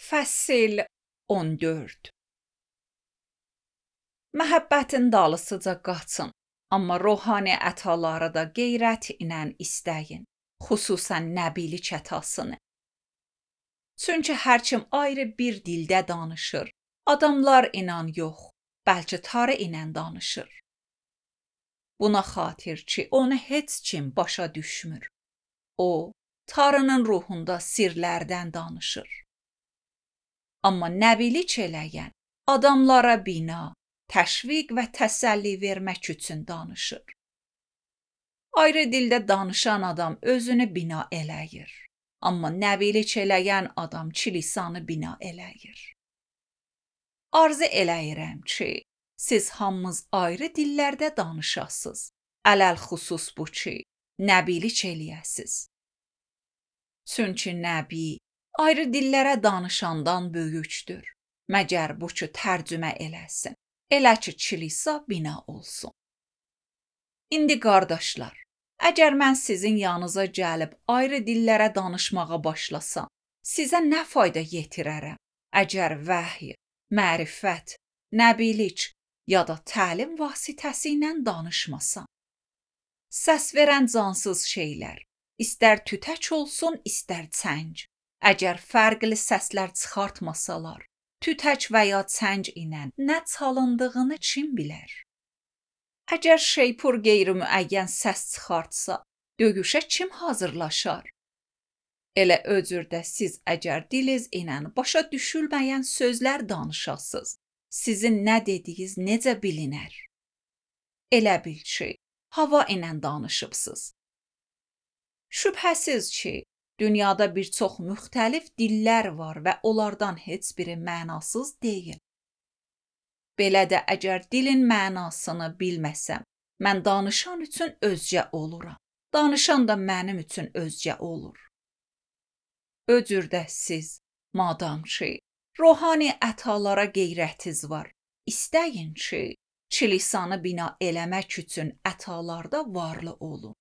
Fəsil 14. Məhəbbətin dalısıca qaçın, amma ruhani ətaları da qeyrət ilə istəyin, xüsusən nəbilik ətasını. Çünki hər kim ayrı bir dildə danışır, adamlar inan yox, bəlkə tarı ilə danışır. Buna xatir ki, onu heç kim başa düşmür. O, tarının ruhunda sirlərdən danışır. Amma nəbilik eləyən adamlara bina, təşviq və təsəlli vermək üçün danışır. Ayrı dildə danışan adam özünü bina eləyir. Amma nəbilik eləyən adam kilisanı bina eləyir. Arzu eləyirəm ki, siz hamınız ayrı dillərdə danışasınız. Ələl xüsus bu ki, nəbilik eləyəsiz. Çünki nəbi ayrı dillərə danışandan böyükdür. Məgər bu ki, tərcümə eləsin. Elə ki, kilisa bina olsun. İndi qardaşlar, əgər mən sizin yanınıza gəlib ayrı dillərə danışmağa başlasam, sizə nə fayda yetirərəm? Əgər vəhy, mərifət, nəbilik ya da təlim vasitəsi ilə danışmasam. Səs verən cansız şeylər, istər tütək olsun, istər çəng. Əgər fərqli səslər çıxartmasalar, tütək və ya çəng ilə nə çalındığını kim bilər? Əgər şeypur qeyri-müəyyən səs çıxartsa, döyüşə kim hazırlaşar? Elə öcürdə siz əgər diliz ilə başa düşülməyən sözlər danışasınız, sizin nə dediyiniz necə bilinər? Elə bil ki, hava ilə danışıbsınız. Şübhəsiz ki, dünyada bir çox müxtəlif dillər var və onlardan heç biri mənasız deyil. Belə də əgər dilin mənasını bilməsəm, mən danışan üçün özcə oluram. Danışan da mənim üçün özcə olur. Öcürdə siz, madam ki, ruhani ətalara qeyrətiz var, istəyin ki, kilisanı bina eləmək üçün ətalarda varlı olun.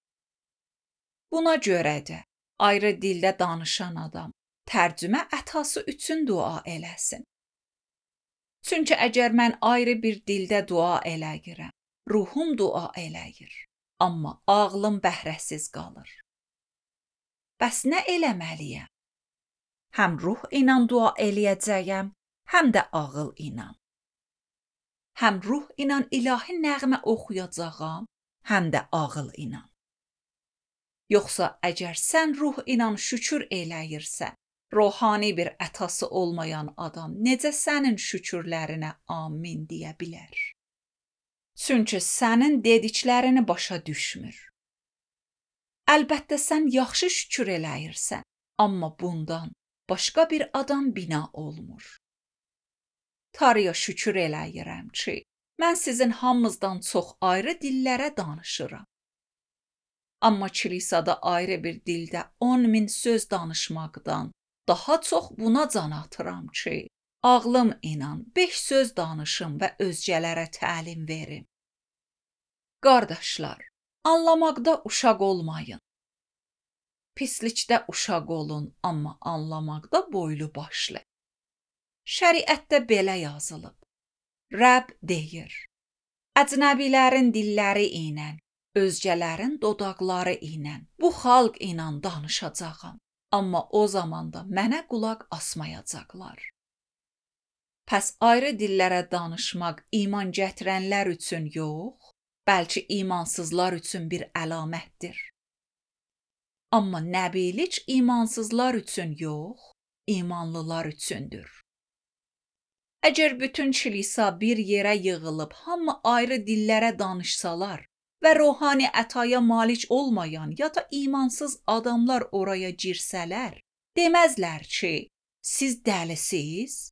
Buna görə də ayrı dildə danışan adam tərcümə ətası üçün dua eləsin. Çünki əgər mən ayrı bir dildə dua eləyirəm, ruhum dua eləyir, amma ağlım bəhrəsiz qalır. Bəs nə eləməliyəm? Həm ruh ilə dua eləyəcəyəm, həm də ağıl ilə. Həm ruh ilə ilahi nəğmə oxuyacağam, həm də ağıl ilə. Yoxsa əgər sən ruh ilə şükür eləyirsən, ruhani bir ətası olmayan adam necə sənin şükürlərinə amin deyə bilər? Çünki sənin dediklərini başa düşmür. Əlbəttə sən yaxşı şükür eləyirsən, amma bundan başqa bir adam bina olmur. Tanrıya şükür eləyirəm ki, mən sizin hamınızdan çox ayrı dillərə danışıram. Amma kilisada ayrı bir dildə 10.000 söz danışmaqdan daha çox buna can atıram ki, ağlım ilə 5 söz danışım və özgələrə təlim verim. Qardaşlar, anlamaqda uşaq olmayın. Pislikdə uşaq olun, amma anlamaqda boylu başlı. Şəriətdə belə yazılıb. Rəbb deyir, əcnəbilərin dilləri ilə, özgələrin dodaqları ilə, bu xalq ilə danışacağam, amma o zamanda mənə qulaq asmayacaqlar. Pəs ayrı dillərə danışmaq iman gətirənlər üçün yox, bəlkə imansızlar üçün bir əlamətdir. Amma nəbilik imansızlar üçün yox, imanlılar üçündür. Əgər bütün kilisa bir yerə yığılıb hamı ayrı dillərə danışsalar, və ruhani ətaya malik olmayan ya da imansız adamlar oraya girsələr, deməzlər ki, siz dəlisiz?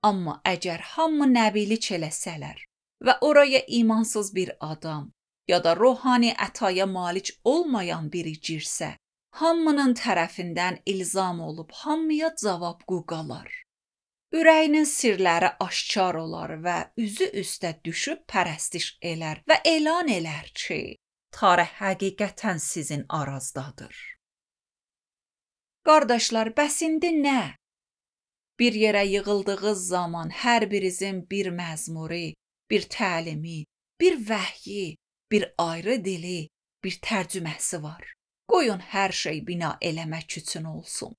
Amma əgər hamı nəbilik eləsələr və oraya imansız bir adam ya da ruhani ətaya malik olmayan biri girsə, hamının tərəfindən ilzam olub hamıya cavab qalar. Ürəyinin sirləri aşkar olar və üzü üstə düşüb pərəstiş elər və elan elər ki, Tanrı həqiqətən sizin arazdadır. Qardaşlar, bəs indi nə? Bir yerə yığıldığınız zaman hər birinizin bir məzmuri, bir təlimi, bir vəhyi, bir ayrı dili, bir tərcüməsi var. Qoyun hər şey bina eləmək üçün olsun.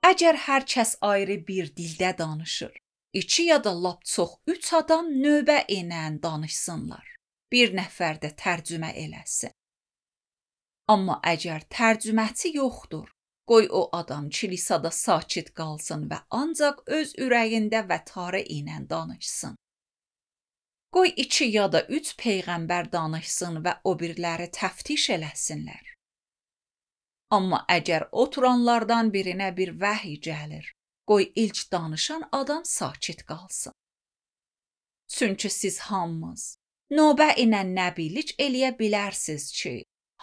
Əgər hər kəs ayrı bir dildə danışır, 2 ya da lap çox 3 adam növbə ilə danışsınlar. Bir nəfər də tərcümə eləsin. Amma əgər tərcüməçi yoxdur, qoy o adam kilisada sakit qalsın və ancaq öz ürəyində və tarı ilə danışsın. Qoy 2 ya da 3 peyğəmbər danışsın və o birləri təftiş eləsinlər. Amma əgər oturanlardan birinə bir vəhy gəlir, qoy ilk danışan adam sakit qalsın. Çünki siz hamınız növbə ilə nəbilik eləyə bilərsiniz ki,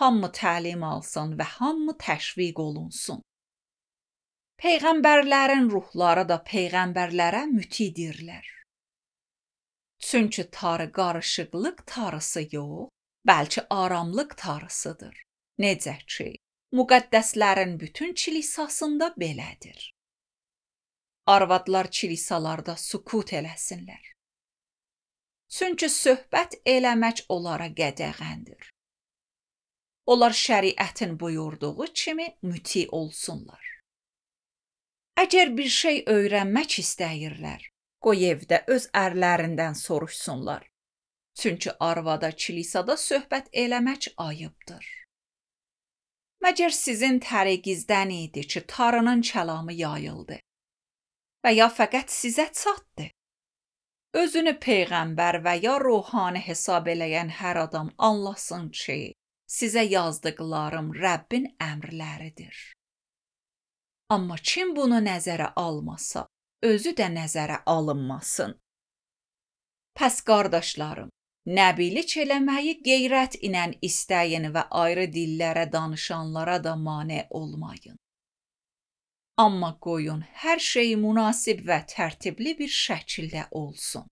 hamı təlim alsın və hamı təşviq olunsun. Peyğəmbərlərin ruhları da peyğəmbərlərə mütidirlər. Çünki tarı qarışıqlıq tarısı yox, bəlkə aramlıq tarısıdır. Necə ki, müqəddəslərin bütün kilisasında belədir. Arvadlar kilisalarda sükut eləsinlər. Çünki söhbət eləmək onlara qədəğəndir. Onlar şəriətin buyurduğu kimi müti olsunlar. Əgər bir şey öyrənmək istəyirlər, qoy evdə öz ərlərindən soruşsunlar. Çünki arvada kilisada söhbət eləmək ayıbdır. Məgər sizin təriqinizdən idi ki, tarının kəlamı yayıldı və ya fəqət sizə çatdı? Özünü peyğəmbər və ya ruhani hesab eləyən hər adam anlasın ki, sizə yazdıqlarım Rəbbin əmrləridir. Amma kim bunu nəzərə almasa, özü də nəzərə alınmasın. Pəs qardaşlarım, nəbilik eləməyi qeyrət ilə istəyin və ayrı dillərə danışanlara da mane olmayın. Amma qoyun hər şey münasib və tərtibli bir şəkildə olsun.